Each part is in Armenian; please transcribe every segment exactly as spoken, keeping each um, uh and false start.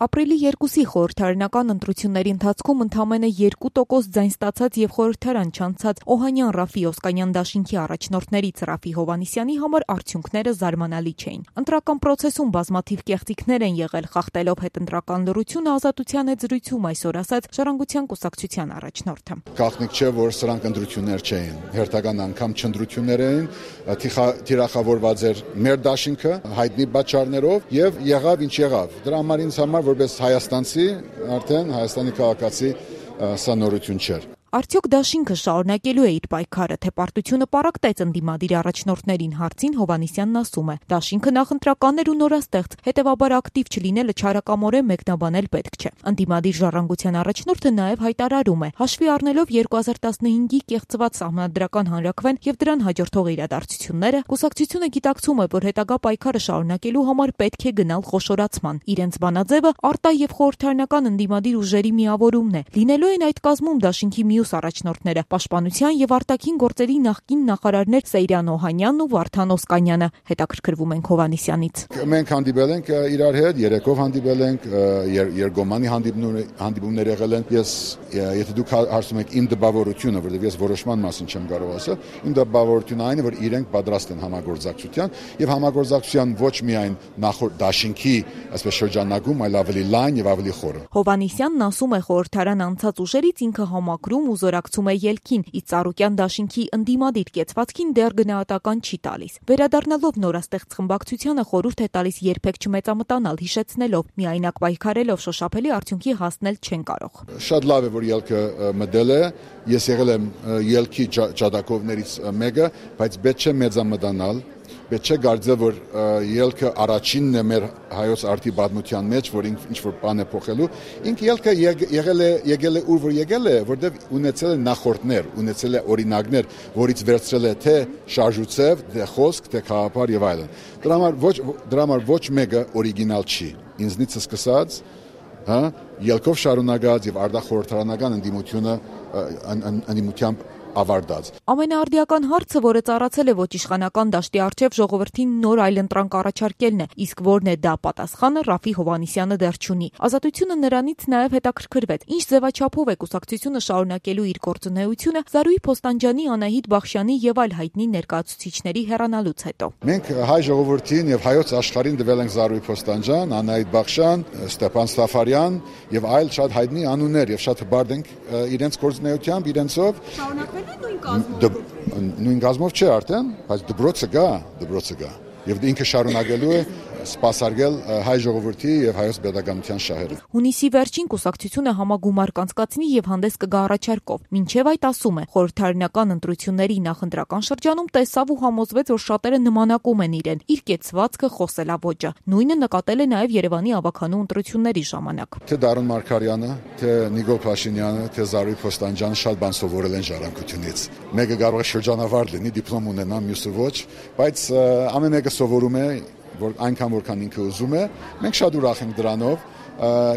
Ապրիլի երկուսի խորհրդարանական ընտրությունների ընթացքում ընդամենը երկու տոկոս ձայն ստացած եւ խորհրդարան չանցած Օհանյան Ռաֆի Օսկանյան դաշինքի առաջնորդներից Ռաֆի Հովհաննիսյանի համար արդյունքները զարմանալի չէին։ Ընտրական պրոցեսում բազմաթիվ կեղծիքներ են եղել, խախտելով հետընտրական լռությունը Ազատության հետ զրույցում այսօր ասաց Ժառանգության կուսակցության առաջնորդը։ Գաղտնիք չէ, որ սրանք ընտրություններ չէին, հերթական անգամ չընտրություններ էին, թիրախավորված էր մեր դաշինքը հայտնի պատճառներով եւ եղավ ինչ եղավ։ Դրա համար ինձ համար որպես հայաստանցի, արդեն Հայաստանի քաղաքացի սա նորություն չէր։ Արդյոք դաշինքը շարունակելու է իր պայքարը, թե պարտությունը պառակտեց ընդդիմադիր առաջնորդներին հարցին Հովհաննիսյանն ասում է. Դաշինքը նախընտրական էր ու նորաստեղծ, հետևաբար ակտիվ չլինելը չարակամորեն մեկնաբանել պետք չէ։ Ընդդիմադիր Ժառանգության առաջնորդը նաև հայտարարում է. հաշվի առնելով երկու հազար տասնհինգի կեղծված սահմանադրական հանրաքվեն եւ դրան հաջորդող իրադարձությունները, կուսակցությունը գիտակցում է, որ հետագա պայքարը շարունակելու համար պետք է գնալ խոշորացման։ Իրենց բանաձևը արտա եւ խորհրդարանական ընդդիմադիր ուժերի միավորումն է։ Լինելու են այդ կազմում դաշինքի մի առաջնորդները, պաշտպանության եւ արտաքին գործերի նախկին նախարարներ Սեյրան Օհանյանն ու Վարդան Օսկանյանը, հետաքրքրվում ենք Հովհաննիսյանից։ Մենք հանդիպել ենք իրար հետ, երեկով հանդիպել ենք, երկգոմանի հանդիպումներ եղել են։ Ես, եթե դուք հարցում եք իմ դպավորությունը, որովհետեւ ես որոշման մասին չեմ կարող ասել, իմ դպավորությունը այն է, որ իրենք պատրաստ են համագործակցության եւ համագործակցության ոչ միայն նախորդ դաշինքի, այսպես շրջանակում, այլ ավելի լայն եւ ավելի խորը։ Հովհաննիսյանն ասում է, խորհրդարան անցած ուժերից ինքը համակրում ու զորակցում է ելքին, իսկ Ծառուկյան դաշինքի ընդդիմադիր կեցվածքին դեռ գնահատական չի տալիս։ Վերադառնալով նորաստեղծ խմբակցությանը խորհուրդ է տալիս երբեք չմեծամտանալ, հիշեցնելով՝ միայնակ պայքարելով շոշափելի արդյունքի հասնել չեն կարող։ Շատ լավ է, որ ելքը մտել է, ես եղել եմ ելքի ջատագովներից մեկը, բայց պետք չէ մեծամտանալ։ Պետք չէ կարծել, որ ելքը առաջինն է մեր հայոց արդի պատմության մեջ, որ ինչ որ բան է փոխելու։ Ինքը ելքը եղել է, եկել է ուր որ եկել է, որտեղ ունեցել է նախորդներ, ունեցել է օրինակներ, որից վերցրել է թե շարժուцев, թե խոսք, թե խաղապար եւ այլն։ Դրա համար ոչ դրա համար ոչ մեկը օրիգինալ չի։ Ինձնից սկսած, հա, ելքով շարունակած եւ արտախորհրդարանական ընդդիմությունը ընդդիմությամբ ավարտած։ Ամենաարդիական հարցը, որը ծառացել է ոչ իշխանական դաշտի առջև ժողովրդին նոր այլընտրանք առաջարկելն է, իսկ որն է դա պատասխանը Ռաֆի Հովհաննիսյանը դեռ չունի։ Ազատությունը նրանից նաև հետաքրքրվեց, ինչ ձևաչափով է կուսակցությունը շարունակելու իր գործունեությունը Զարուհի Փոստանջյանի, Անահիտ Բախշյանի եւ այլ հայտնի ներկայացուցիչների հեռանալուց հետո։ Մենք հայ ժողովրդին եւ հայոց աշխարհին տվել ենք Զարուհի Փոստանջյան, Անահիտ Բախշյան, Ստեփան Սաֆարյան եւ այլ շատ հայտնի անուններ եւ շատ հբարտ ենք իրենց գործունեությամբ, իրենցով Նույն կազմով չէ արդեն, բայց դպրոցը գա, դպրոցը գա եւ ինքը շարունակելու է սպասարկել հայ ժողովրդի եւ հայոց պետականության շահերը։ Հունիսի վերջին կուսակցությունը համագումար կանցկացնի եւ հանդես կգա առաջարկով։ Մինչեւ այդ ասում է, խորհրդարանական ընտրությունների նախընտրական շրջանում տեսավ ու համոզվեց, որ շատերը նմանակում են իրեն, իր կեցվածքը, խոսելավոճը։ Նույնը նկատել է նաեւ Երևանի ավականու ընտրությունների ժամանակ։ Թե Դարուն Մարգարյանը, թե Նիկոլ Փաշինյանը, թե Զարուհի Փոստանջյանը շատ բան սովորել են ժառանգությունից։ Մեկը կարող է շրջանավար լինի, դիպլոմ ունենա, մյուսը ոչ, բայց ամեն մեկը սովորում է որ այնքան որքան ինքը ուզում է, մենք շատ ուրախ ենք դրանով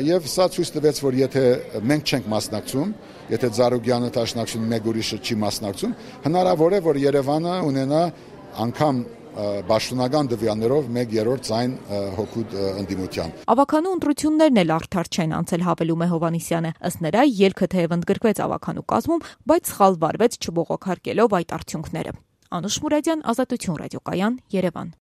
եւ սա ցույց տվեց, որ եթե մենք չենք մասնակցում, եթե Զարուգյանը Տաշնակցությունը մեկ ուրիշը չի մասնակցում, հնարավոր է, որ Երևանը ունենա անգամ Պաշտոնական դվյաններով մեկ երրորդ ձայն հոգուտ ընդդիմության։ Ավականու ընտրություններն էլ արդար չեն անցել, հավելում է Հովհաննիսյանը։ Ըստ նրա, ելքը թեև ընդգրկվեց ավականու կազմում, բայց սխալ վարվեց չբողոքարկելով այդ արդյունքները։ Անուշ Մուրադյան, Ազատություն ռադիոկայան, Երևան։